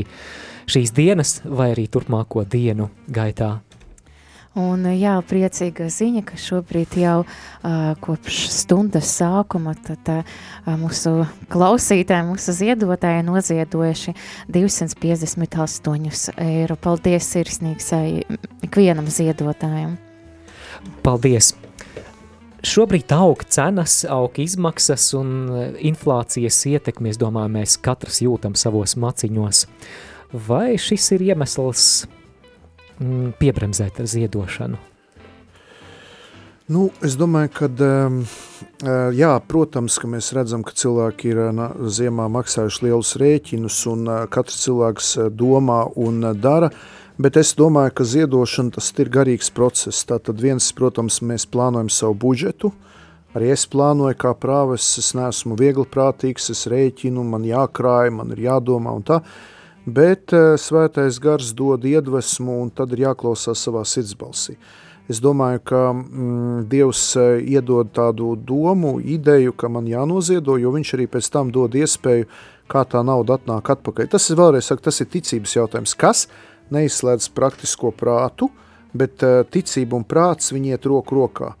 šīs dienas vai arī turpmāko dienu gaitā. Un jā, priecīga ziņa, ka šobrīd jau uh, kopš stundas sākuma tad, uh, mūsu klausītāji, mūsu ziedotāji noziedojuši divsimt piecdesmit astoņi eiro. Paldies sirsnīgs ikvienam ziedotājam. Paldies! Šobrīd aug cenas, aug izmaksas un inflācijas ietekmi, es domāju, mēs katrs jūtam savos maciņos. Vai šis ir iemesls mm, piebremzēt ar ziedošanu? Nu, es domāju, ka, jā, protams, ka mēs redzam, ka cilvēki ir ziemā maksājuši lielus rēķinus un katrs cilvēks domā un dara, bet es domāju, ka ziedošana tas ir garīgs process. Tātad viens, protams, mēs plānojam savu budžetu, arī es plānoju kā prāves, es neesmu viegliprātīgs, es rēķinu, man jākrāj, man ir jādomā un tā, bet svētais gars dod iedvesmu un tad ir jāklausās savā sirdsbalsī. Es domāju, ka mm, Dievs iedod tādu domu, ideju, ka man jānoziedo, jo viņš arī pēc tam dod iespēju, kā tā nauda atnāk atpakaļ. Tas ir vēlreiz, saka, tas ir ticības jautājums. Kas neizslēdz praktisko prātu, bet ticība un prāts viņi iet roku rokā.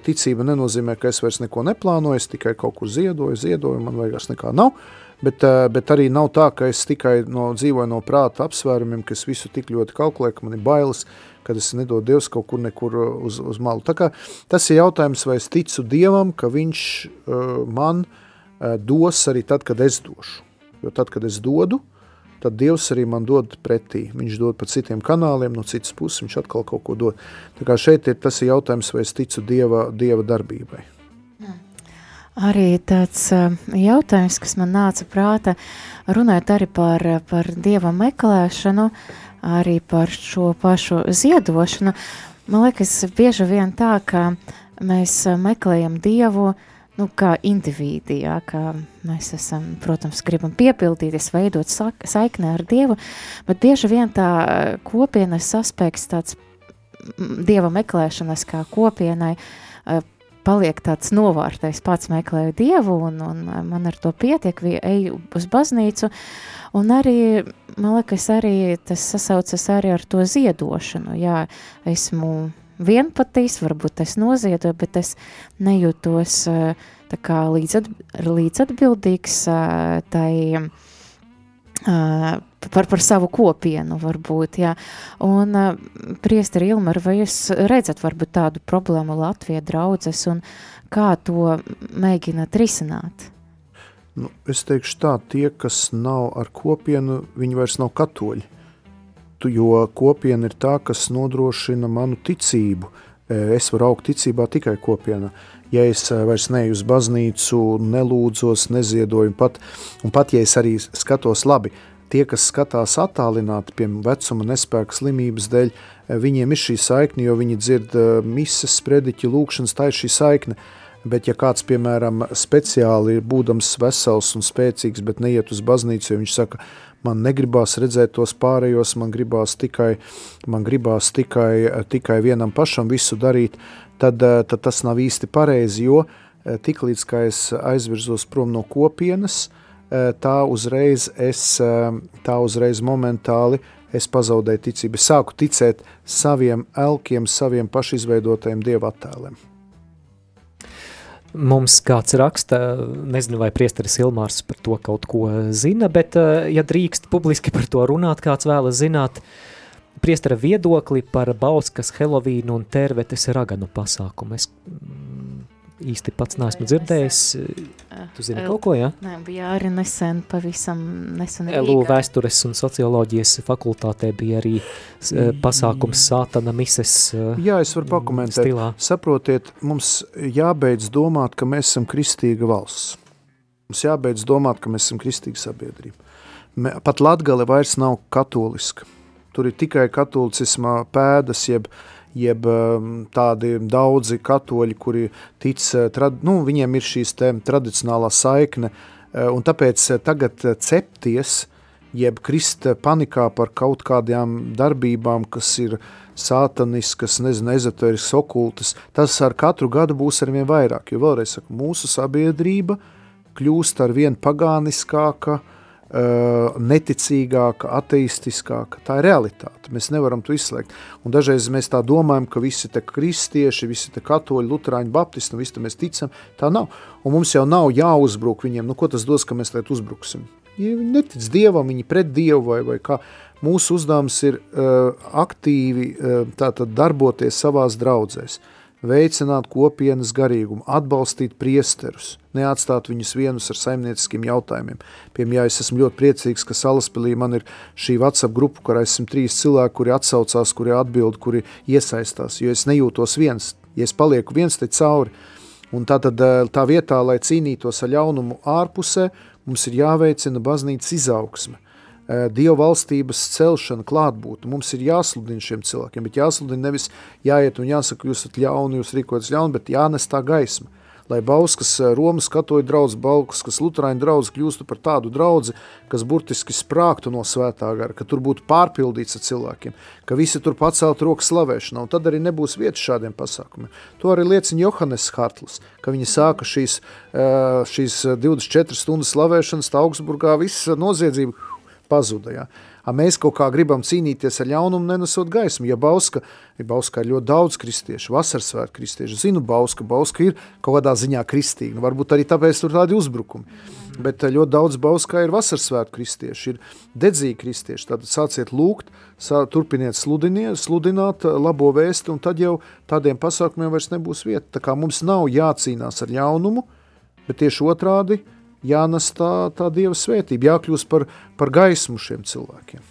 Ticība nenozīmē, ka es vairs neko neplānoju, es tikai kaut kur ziedoju, ziedoju, man vairs nekā nav, bet, bet arī nav tā, ka es tikai no, dzīvoju no prāta apsvērumiem, ka es visu tik ļoti kalkulēju, ka man ir bailes, kad es nedodu Dievs kaut kur nekur uz, uz malu. Tā kā tas ir jautājums, vai es ticu Dievam, ka viņš uh, man uh, dos arī tad, kad es došu. Jo tad, kad es dodu, tad Dievs arī man dod pretī. Viņš dod pa citiem kanāliem, no citas puses viņš atkal kaut ko dod. Tā kā šeit ir tas ir jautājums, vai es ticu Dieva, Dieva darbībai. Arī tāds jautājums, kas man nāca prāta, runājot arī par, par Dieva meklēšanu, arī par šo pašu ziedošanu. Man liekas, bieži vien tā, ka mēs meklējam Dievu, nu, kā indivīdi, jā, kā mēs esam, protams, gribam piepildīties, veidot saikni ar Dievu, bet bieži vien tā kopienas aspekts, tāds Dieva meklēšanas kā kopienai, paliek tāds novārtais, pats meklēju Dievu un, un man ar to pietiek, eju uz baznīcu, un arī, man liekas, arī tas sasaucas arī ar to ziedošanu, jā, esmu vienpatīs, varbūt es noziedoju, bet es nejūtos tā kā līdzat, līdzatbildīgs tai par, par savu kopienu varbūt, jā. Un priesteri Ilmar, vai jūs redzat varbūt tādu problēmu Latvijā draudzes un kā to mēģināt risināt? Nu, es teikšu tā, tie, kas nav ar kopienu, viņi vairs nav katoļi. Jo kopiena ir tā, kas nodrošina manu ticību. Es varu augt ticībā tikai kopienā. Ja es vairs neju uz baznīcu, nelūdzos, neziedoju, pat, un pat ja es arī skatos labi, tie, kas skatās attālināti, piemēram, vecuma nespēka slimības dēļ, viņiem ir šī saikne, jo viņi dzird mises, sprediķi, lūkšanas, tā ir šī saikne. Bet ja kāds, piemēram, speciāli ir būdams vesels un spēcīgs, bet neiet uz baznīcu, jo viņš saka, man negribās redzēt tos pārējos, man gribās tikai, man gribās tikai, tikai vienam pašam visu darīt, tad, tad tas nav īsti pareizi, jo tiklīdz, kā es aizvirzos prom no kopienas, tā uzreiz, es, tā uzreiz momentāli es pazaudēju ticību. Es sāku ticēt saviem elkiem, saviem pašizveidotajiem dieva attēliem. Mums kāds raksta, nezinu, vai priesteris Ilmārs par to kaut ko zina, bet, ja drīkst publiski par to runāt, kāds vēlas zināt, priestera viedokli par Bauskas, Helovīnu un Tērvetes raganu pasākumu. Es īsti pats neesmu dzirdējis. Tu zini kaut ko, jā? Nē, bija arī nesen, pavisam nesen Elu Rīgā. vēstures un socioloģijas fakultātē bija arī uh, pasākums Sātana mises uh, Jā, es varu pakomentēt. stilā. Saprotiet, mums jābeidz domāt, ka mēs esam kristīga valsts. Mums jābeidz domāt, ka mēs esam kristīga sabiedrība. Me- Pat Latgale vairs nav katoliska. Tur ir tikai katolicisma pēdas, jeb jeb um, tādi daudzi katoļi, kuri tic, uh, trad, nu, viņiem ir šīs te tradicionālā saikne, uh, un tāpēc uh, tagad uh, cepties, jeb krist uh, panikā par kaut kādām darbībām, kas ir sātaniskas, nezinu, ezoteriskas, okultas, tas ar katru gadu būs arvien vairāk, jo vēlreiz saku, mūsu sabiedrība kļūst arvien pagāniskāka, Uh, neticīgāka, ateistiskāka. Tā ir realitāte. Mēs nevaram to izslēgt. Un dažreiz mēs tā domājam, ka visi te kristieši, visi te katoļi, luterāņi, baptisti, un visi te mēs ticam. Tā nav. Un mums jau nav jāuzbruk viņiem. Nu, ko tas dos, ka mēs tagad uzbruksim? Ja viņi netic Dievam, viņi pret Dievu vai, vai kā. Mūsu uzdevums ir uh, aktīvi uh, tātad darboties savās draudzēs. Veicināt kopienas garīgumu, atbalstīt priesterus, neatstāt viņus vienus ar saimnieciskiem jautājumiem. Piemēram, ja es esmu ļoti priecīgs, ka Salaspilī man ir šī WhatsApp grupa, kurā esam trīs cilvēki, kuri atsaucās, kuri atbild, kuri iesaistās, jo es nejūtos viens, ja es palieku viens te cauri. Un tātad tā vietā, lai cīnītos ar ļaunumu ārpusē, mums ir jāveicina baznīcas izaugsme. Dieva valstības celšana, klātbūt. Mums ir jāsludina šiem cilvēkiem, bet jāsludina nevis jāiet un jāsaka, jūs esat ļauni, jūs rīkojaties ļauni, bet jānes tā gaisma. Lai Bauskas Romas katoļu draudz, Bauskas luterāņu draudz kļūstu par tādu draudzi, kas burtiski sprāktu no svētā gara, ka tur būtu pārpildīts ar cilvēkiem, ka visi tur pacelt rokas slavēšanā, un tad arī nebūs vietas šādiem pasākumiem. To arī liecina Johannes Hartls, ka viņi sāka šīs, šīs divdesmit četras stundas slavēšanas, tā Augsburgā viss noziedzība pazuda, ja. A mēs kaut kā gribam cīnīties ar ļaunumu, nenesot gaismu. Ja Bauska, ja Bauskā ir ļoti daudz kristiešu, vasarsvētu kristiešu, zinu Bauska, Bauska ir kaut kādā ziņā kristīga, nu, varbūt arī tāpēc tur tādi uzbrukumi. Bet ļoti daudz Bauskā ir vasarsvētu kristieši, ir dedzīgi kristieši, tātad sāciet lūgt, sā, turpiniet sludiniet, sludināt labo vēsti, un tad jau tādiem pasākumiem vairs nebūs vieta. Tā kā mums nav jācīnās ar ļaunumu, bet tieši otrādi, jānes tā, tā Dieva svētība, jākļūst par, par gaismu šiem cilvēkiem.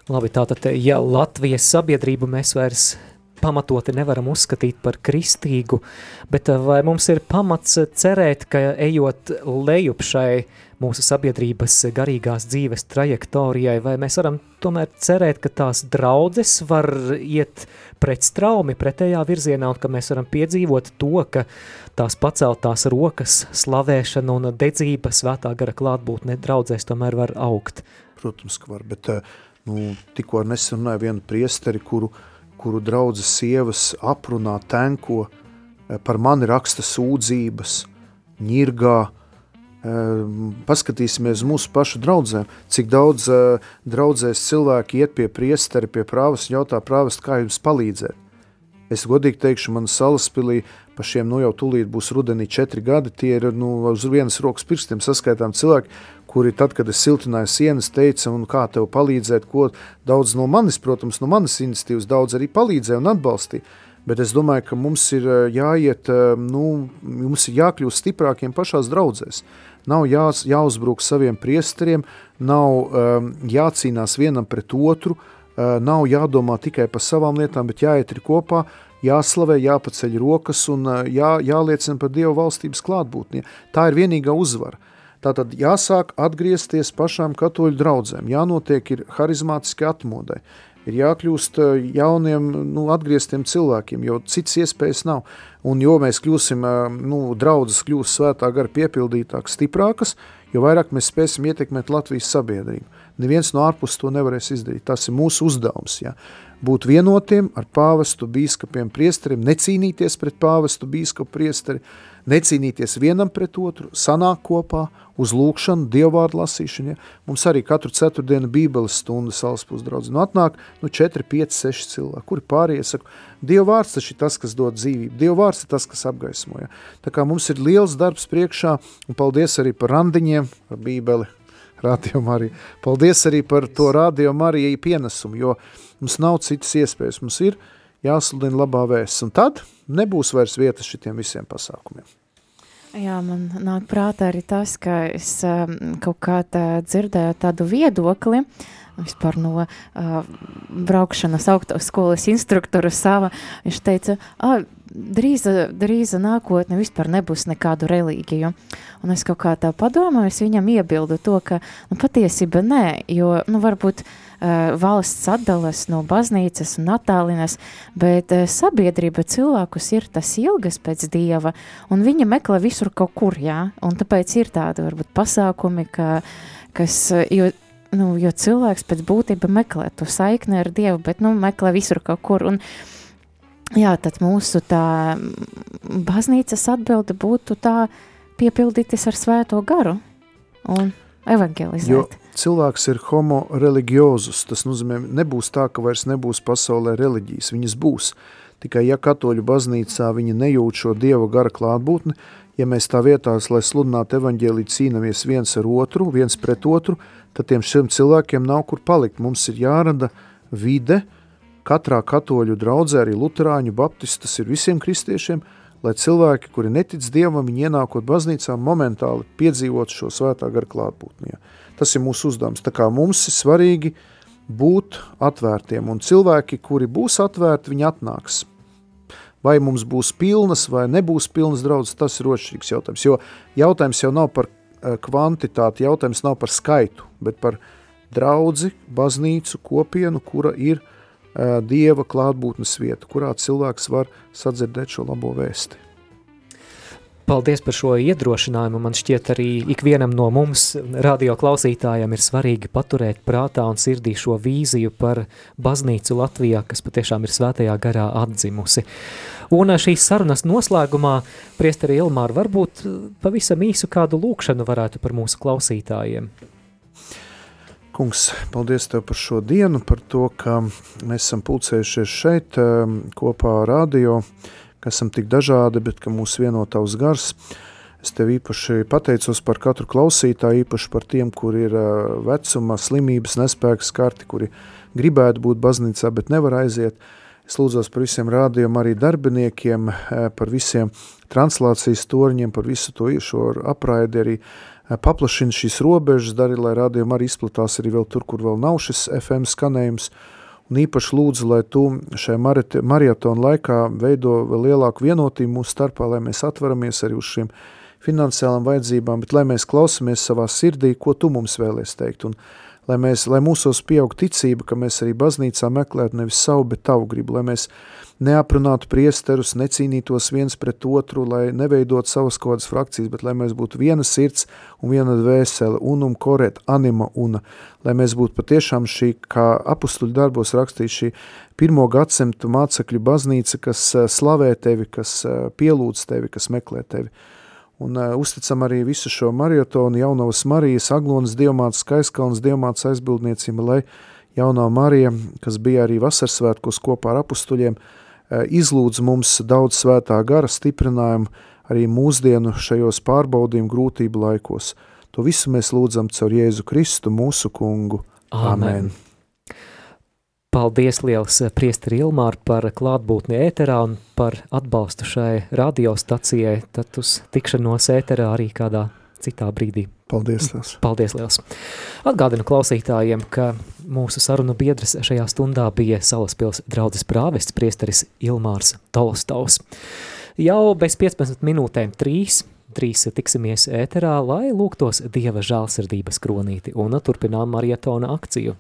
Labi, tātad, ja Latvijas sabiedrību mēs vairs pamatoti nevaram uzskatīt par kristīgu, bet vai mums ir pamats cerēt, ka ejot lejup šai mūsu sabiedrības garīgās dzīves trajektorijai, vai mēs varam tomēr cerēt, ka tās draudzes var iet pret straumi pretējā virzienā, un ka mēs varam piedzīvot to, ka tās paceltās rokas, slavēšana un dedzība svētā gara klātbūtne draudzēs tomēr var augt. Protams, ka var, bet nu, tikko ar nesen runāju vienu priesteri, kuru, kuru draudzes sievas aprunā, tenko, par mani raksta sūdzības, ņirgā. Paskatīsimies mūsu pašu draudzēm, cik daudz draudzēs cilvēki iet pie priesteri, pie prāvas un jautā prāvast, kā jums palīdzēt. Es godīgi teikšu, man Salaspilī pa šiem nu jau tūlīt būs rudenī četri gadi, tie ir nu, uz vienas rokas pirkstiem saskaitām cilvēki, kuri tad, kad es siltināju sienas, teica, un kā tev palīdzēt, ko daudz no manis, protams, no manas iniciatīvas daudz arī palīdzēja un atbalstīja. Bet es domāju, ka mums ir jāiet, nu, mums ir jākļūst stiprākiem pašās draudzēs. Nav jā, jāuzbruk saviem priesteriem, nav um, jācīnās vienam pret otru, uh, nav jādomā tikai par savām lietām, bet jāiet ir kopā, jāslavē, jāpaceļ rokas un uh, jā, jāliecina par Dieva valstības klātbūtni. Tā ir vienīgā uzvara. Tātad jāsāk atgriezties pašām katoļu draudzēm, jānotiek ir harizmātiski atmodai. Ir jākļūst jauniem, nu, atgrieztiem cilvēkiem, jo cits iespējas nav. Un jo mēs kļūsim, nu, draudzes kļūst svētā gara piepildītākas, stiprākas, jo vairāk mēs spēsim ietekmēt Latvijas sabiedrību. Neviens no ārpus to nevarēs izdarīt. Tas ir mūsu uzdevums, ja. Būt vienotiem ar pāvestu, bīskapiem, priesteriem, necīnīties pret pāvestu, bīskapu, priesteri, necīnīties vienam pret otru, sanāk kopā, uz lūkšanu, dievvārdu lasīšanu. Ja? Mums arī katru ceturtdienu bībeles stundu Salaspils draudzi. Nu atnāk nu, četri, pieci, seši cilvēki, kuri pārējie saka, dievvārds tas ir tas, kas dod dzīvību, dievvārds ir tas, kas apgaismo. Ja? Tā kā mums ir liels darbs priekšā, un paldies arī par randiņiem, par bībeli, Radio Marija. Paldies arī par to Radio Marija pienesumu, jo mums nav citas iespējas. Mums ir jāsludina labā vēsts. Un tad nebūs vairs vietas šitiem visiem pasākumiem. Jā, man nāk prātā arī tas, ka es um, kaut kā tā dzirdēju tādu viedokli, vispār no uh, braukšanas autoskolas instruktora sava. Viņš teica, ah, drīza, drīza nākotne vispār nebūs nekādu reliģiju. Un es kaut kā tā padomāju, es viņam iebildu to, ka nu, patiesība nē, jo nu, varbūt uh, valsts atdalas no baznīcas un attālinas, bet uh, sabiedrība cilvēkus ir tas ilgas pēc Dieva, un viņa meklē visur kaut kur, jā, un tāpēc ir tādi varbūt pasākumi, ka, kas, jo Nu, jo cilvēks pēc būtība meklē to saikni ar Dievu, bet, nu, meklē visur kaut kur, un, jā, tad mūsu tā baznīcas atbilde būtu tā piepildīties ar svēto garu un evangelizēt. Jo cilvēks ir homo religiozus, tas nozīmē, nebūs tā, ka vairs nebūs pasaulē reliģijas, viņas būs, tikai ja katoļu baznīcā viņi nejūt šo Dieva gara klātbūtni, ja mēs tā vietās, lai sludinātu evaņģēliju cīnamies viens ar otru, viens pret otru, tad tiem šiem cilvēkiem nav kur palikt. Mums ir jārada vide katrā katoļu draudzē, arī luterāņu, baptistu, tas ir visiem kristiešiem, lai cilvēki, kuri netic Dievam, viņi ienākot baznīcā, momentāli piedzīvot šo svētā gara klātbūtni. Tas ir mūsu uzdevums. Tā kā mums ir svarīgi būt atvērtiem, un cilvēki, kuri būs atvērti, viņi atnāks. Vai mums būs pilnas, vai nebūs pilnas draudzes, tas ir otršķirīgs jautājums, jo jautājums jau nav par kvantitāti, jautājums nav par skaitu, bet par draudzi, baznīcu, kopienu, kura ir uh, Dieva klātbūtnes vieta, kurā cilvēks var sadzirdēt šo labo vēsti. Paldies par šo iedrošinājumu. Man šķiet arī ikvienam no mums, radio klausītājiem, ir svarīgi paturēt prātā un sirdī šo vīziju par baznīcu Latvijā, kas patiešām ir svētajā garā atdzimusi. Un šīs sarunas noslēgumā, priesteri Ilmār, varbūt pavisam īsu kādu lūkšanu varētu par mūsu klausītājiem. Kungs, paldies Tev par šo dienu, par to, ka mēs esam pulcējušies šeit kopā ar radio, ka esam tik dažādi, bet ka mūs vieno Tavs gars. Es Tev īpaši pateicos par katru klausītāju, īpaši par tiem, kuri ir vecuma, slimības, nespēks karti, kuri gribētu būt baznīcā, bet nevar aiziet. Es lūdzos par visiem rādījumiem, arī darbiniekiem, par visiem translācijas torņiem, par visu to šo apraidi, arī paplašina šīs robežas, dari, lai rādījumi arī izplatās arī vēl tur, kur vēl nav šis F M skanējums. Un īpaši lūdzu, lai Tu šajā marietona laikā veido vēl lielāku vienotību mūsu starpā, lai mēs atveramies arī uz šiem finansiālām vajadzībām, bet lai mēs klausamies savā sirdī, ko Tu mums vēlies teikt. Un lai, mēs, lai mūsos pieaug ticība, ka mēs arī baznīcā meklētu nevis savu, bet Tavu gribu, lai mēs neaprunātu priesterus, necīnītos viens pret otru, lai neveidot savas kādas frakcijas, bet lai mēs būtu viena sirds un viena dvēsele, unum koret, anima una, lai mēs būtu patiešām šī, kā apustuļu darbos rakstīt, šī pirmo gadsimtu mācekļu baznīca, kas slavē Tevi, kas pielūdz Tevi, kas meklē Tevi. Un uh, uzticam arī visu šo marietonu Jaunavas Marijas, Aglonas dievmātes, Skaiskalnas dievmātes aizbildniecība, lai Jaunā Marija, kas bija arī vasarsvētkos kopā ar apustuļiem, uh, izlūdz mums daudz svētā gara stiprinājumu arī mūsdienu šajos pārbaudījumu grūtību laikos. To visu mēs lūdzam caur Jēzu Kristu, mūsu kungu. Amen. Amen. Paldies liels priesteri Ilmār par klātbūtni ēterā un par atbalstu šai radiostacijai, tad uz tikšanos ēterā arī kādā citā brīdī. Paldies liels. Paldies liels. Atgādinu klausītājiem, ka mūsu sarunu biedrs šajā stundā bija Salaspils draudzes prāvests priesteris Ilmārs Tolstovs. Jau bez piecpadsmit minūtēm trīs, trīs tiksimies ēterā, lai lūgtos Dieva žēlsirdības kronīti un turpinām marietona akciju.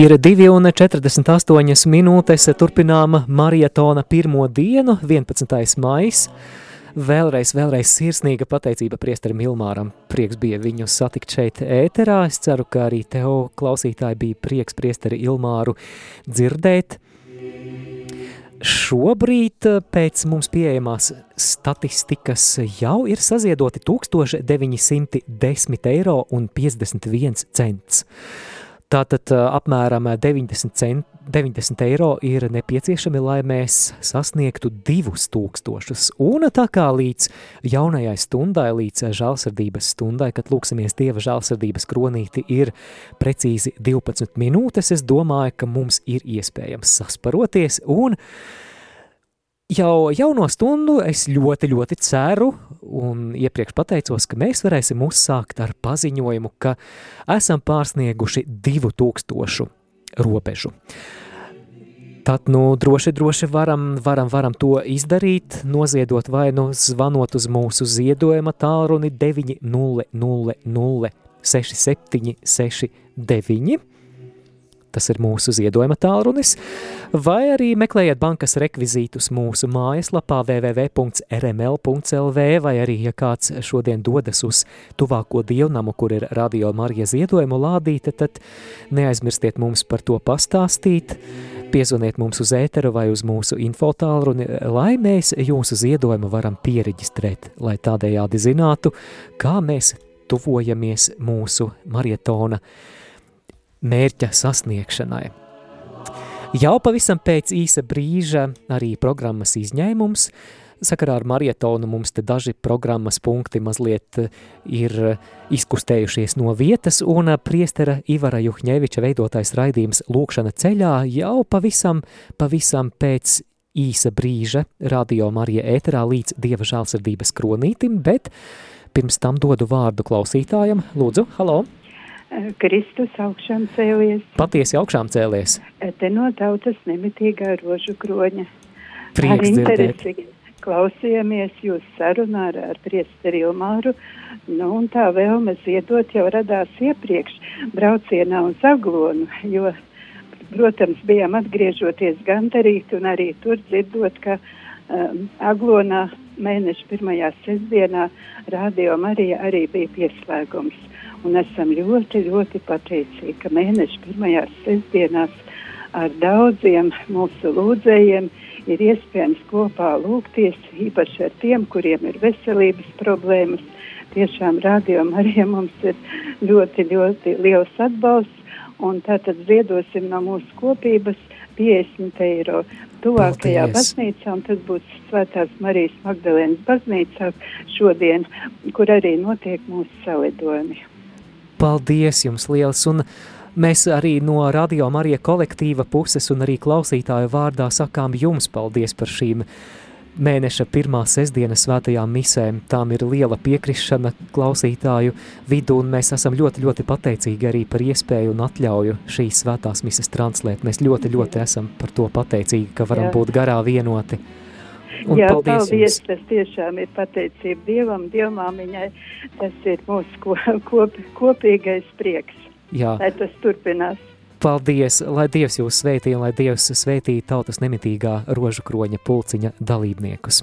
Ir divi un četrdesmit astoņas minūtes, turpinām marietona pirmo dienu, vienpadsmitais maijs. Vēlreiz, vēlreiz sirsnīga pateicība priesterim Ilmāram. Prieks bija viņu satikt šeit ēterā. Es ceru, ka arī tev, klausītāji, bija prieks priesteri Ilmāru dzirdēt. Šobrīd pēc mums pieejamās statistikas jau ir saziedoti tūkstoš deviņi simti desmit eiro un piecdesmit viens cents. Tātad apmēram deviņdesmit, cent, deviņdesmit eiro ir nepieciešami, lai mēs sasniegtu divus tūkstošus. Un tā kā līdz jaunajai stundai, līdz žēlsirdības stundai, kad lūksimies Dieva žēlsirdības kronīti, ir precīzi divpadsmit minūtes, es domāju, ka mums ir iespējams sasparoties. Un jau jauno stundu es ļoti, ļoti ceru un iepriekš pateicos, ka mēs varēsim uzsākt ar paziņojumu, ka esam pārsnieguši divu tūkstošu robežu. Tad, nu, droši, droši varam, varam, varam to izdarīt, noziedot vai nu zvanot uz mūsu ziedojuma tālruni deviņi nulle nulle nulle seši septiņi seši deviņi. Tas ir mūsu ziedojuma tālrunis, vai arī meklējiet bankas rekvizītus mūsu mājaslapā w w w punkts r m l punkts l v, vai arī, ja kāds šodien dodas uz tuvāko dievnamu, kur ir Radio Marija ziedojumu lādīte, tad neaizmirstiet mums par to pastāstīt, piezvaniet mums uz ēteru vai uz mūsu info tālruni, lai mēs jūsu ziedojumu varam piereģistrēt, lai tādējādi zinātu, kā mēs tuvojamies mūsu marietona mērķa sasniegšanai. Jau pavisam pēc īsa brīža arī programmas izņēmums. Sakarā ar marietonu mums te daži programmas punkti mazliet ir izkustējušies no vietas, un priestera Ivara Juhņeviča veidotais raidījums Lūkšana ceļā jau pavisam, pavisam pēc īsa brīža Radio Marija ēterā līdz Dieva žēlsirdības kronītim, bet pirms tam dodu vārdu klausītājam. Lūdzu, halo! Kristus augšām cēlies. Patiesi augšām cēlies. Te no tautas nemitīgā rožu kroņa. Prieks dzirdēt. Klausījāmies jūs sarunā ar, ar priesteri Ilmāru, nu un tā vēlme ziedot jau radās iepriekš braucienā uz Aglonu, jo, protams, bijām atgriežoties gandarīt un arī tur dzirdot, ka um, Aglonā mēneša pirmajā sestdienā Radio Marija arī bija pieslēgums. Un esam ļoti, ļoti pateicīgi, ka mēneša pirmajās sestdienās ar daudziem mūsu lūdzējiem ir iespējams kopā lūgties, īpaši ar tiem, kuriem ir veselības problēmas. Tiešām Radio Marija mums ir ļoti, ļoti liels atbalsts, un tātad ziedosim no mūsu kopības piecdesmit eiro tuvākajā Paldies. baznīcā, un tas būs Svētās Marijas Magdalēnas baznīcā šodien, kur arī notiek mūsu salidojumi. Paldies jums liels, un mēs arī no Radio Marija kolektīva puses un arī klausītāju vārdā sakām jums paldies par šīm mēneša pirmā sestdienas svētajām misēm. Tām ir liela piekrišana klausītāju vidu, un mēs esam ļoti, ļoti pateicīgi arī par iespēju un atļauju šīs svētās mises translēt. Mēs ļoti, ļoti esam par to pateicīgi, ka varam Jā. būt garā vienoti. Un Jā, paldies, paldies, jums. Tas tiešām ir pateicība Dievam, Dievmāmiņai, tas ir mūsu ko, kop, kopīgais prieks, Jā. lai tas turpinās. Paldies, lai Dievs jūs svētī un lai Dievs svētī tautas nemitīgā rožu kroņa pulciņa dalībniekus.